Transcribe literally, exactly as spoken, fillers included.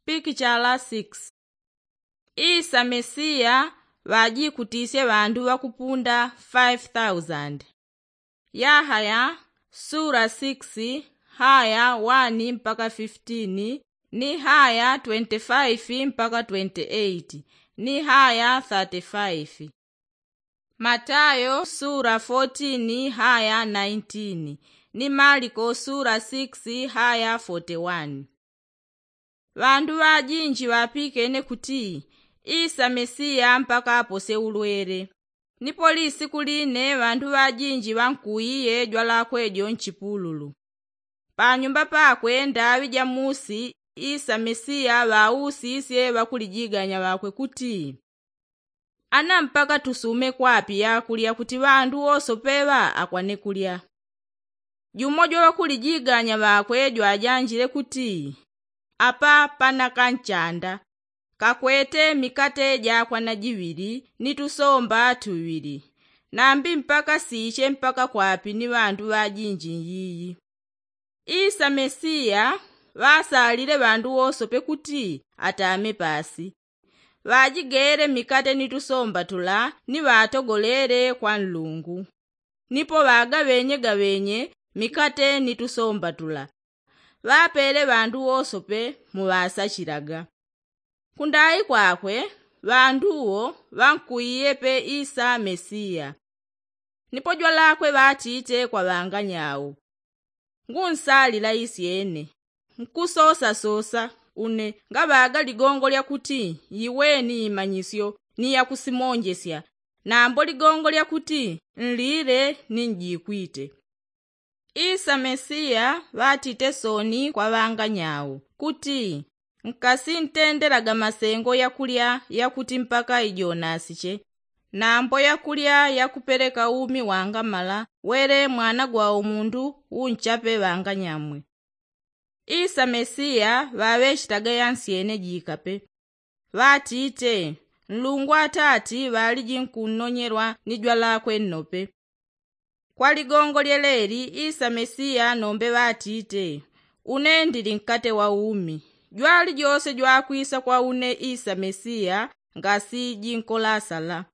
Pikichala six. Isa mesiya ŵajikutisye ŵandu ŵakupunda five thousand. Yahaya sura six, haya one mpaka fifteen, ni haya twenty-five mpaka twenty-eight, ni haya thirty-five. Matayo sura fourteen haya nineteen, ni maliko sura six haya forty-one. Ŵandu ŵajinji ŵapikene kuti isa mesiya mpaka apose ulwele. Nipo lisiku line ŵandu ŵajinji ŵankuiye jwalakwe jo nchipululu. Panyumba pakwe ndaŵi ja musi isa mesiya ŵausisye ŵakulijiganya ŵakwe kuti, ana mpaka tusume kwapi yakulya kuti ŵandu wosope ŵa akwane kulya? Jumo jwa ŵakulijiganya ŵakwe jwajanjile kuti, apa pana kanchanda kakwete mikate jakwana jiŵili ni tusomba tuŵili. Nambi mpaka siche mpaka kwapi ni ŵandu ŵajinji nyiyi? Isa mesiya ŵasalile ŵandu wosope kuti atame pasi. Ŵajigele mikate ni tusomba tula ni ŵatogolele kwa nlungu. Nipo ŵagaŵenye gaŵenye mikate ni tusomba tula ŵapele ŵandu wosope muŵasachilaga. Kundai kwakwe ŵandu wo ŵankuiyepe isa mesiya. Nipo jwalakwe ŵatite kwa ŵanganyau, ngunsalila isyene. Nkusosasosa une ngaŵaga ligongo lya kuti iweni imanyisyo ni yakusimonjesya, nambo ligongo lya kuti nlile ni njikwite. Isa mesiya ŵatite soni kwa ŵanganyau kuti, nkasintendelaga masengo yakulya yakuti mpaka ijonasiche, nambo yakulya yakupeleka umi wangamala wele mwana gwa umundu unchape ŵanganyamwe. Isa mesiya ŵaŵechitaga yansyene jikape. Ŵatite, nlungu atati ŵaliji nkunnonyelwa ni jwalakwe nnope. Kwa ligongo lyeleli isa mesiya nombe ŵatite, une ndili nkate wa umi. Jwalijose jwakwisa kwa une isa mesiya ngasijinkolasala.